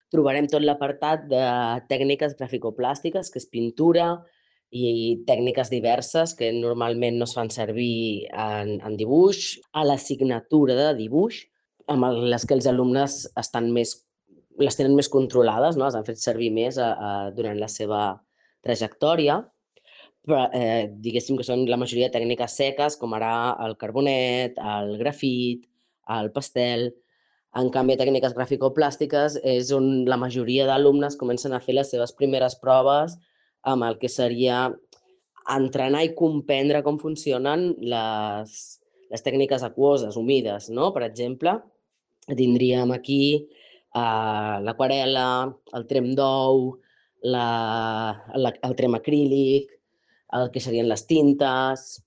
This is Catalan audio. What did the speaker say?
trobarem tot l'apartat de tècniques graficoplàstiques, que és pintura, i tècniques diverses que normalment no es fan servir en dibuix, a l'assignatura de dibuix, amb les que els alumnes les tenen més controlades, no? Les han fet servir més durant la seva trajectòria, però diguéssim que són la majoria de tècniques seques, com ara el carbonet, el grafit, el pastel. En canvi, tècniques graficoplàstiques és on la majoria d'alumnes comencen a fer les seves primeres proves amb el que seria entrenar i comprendre com funcionen les tècniques aquoses, humides, no? Per exemple, tindríem aquí l'aquarel·la, el trem d'ou, el trem acrílic, el que serien les tintes,